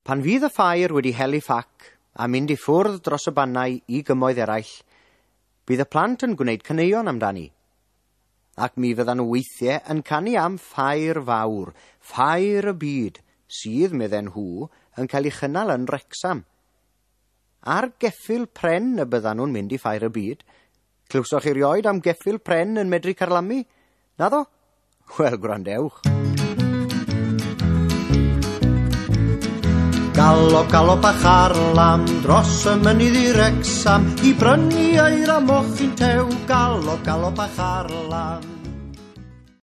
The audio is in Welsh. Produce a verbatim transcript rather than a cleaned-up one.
Pan fydd y ffair wedi hel ei phac a mynd i ffwrdd dros y bannau i gymoedd eraill, bydd y plant yn gwneud caneuon amdani. Ac mi fyddan nhw weithiau yn canu am ffair fawr, ffair y byd, sydd, medden nhw, yn cael ei chynnal yn Wrecsam. Ar geffyl pren y byddan nhw'n mynd i ffair y byd. Clywsoch chi erioed am geffyl pren yn medru carlamu? Naddo? Wel, gwrandewch. Galop, galop a charlam dros y mynydd i Wrecsam i brynu eira mochyn tew. Galop, galop a charlam.